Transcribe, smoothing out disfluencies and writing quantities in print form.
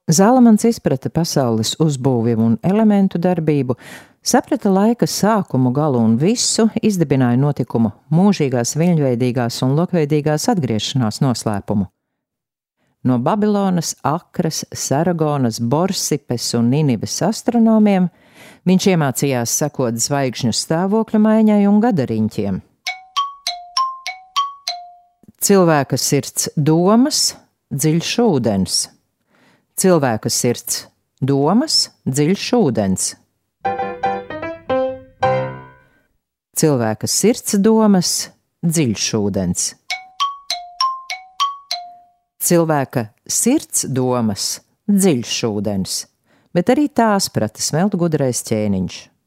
Zalamans izprata pasaules uzbūvi un elementu darbību, saprata laika sākumu, galu un visu, izdibināja notikumu mūžīgās, viļņveidīgās un lokveidīgās atgriešanās noslēpumu. No Babilonas, Akras, Saragonas, Borsipes un Ninives astronomiem viņš iemācījās sekot zvaigžņu stāvokļa maiņai un gadariņķiem. Cilvēka sirds domas, dziļš ūdens. Cilvēka sirds domas, dziļš ūdens. Cilvēka sirds domas, dziļš ūdens. Cilvēka sirds domas, dziļš ūdens, bet arī tās prata smelt gudrais ķēniņš.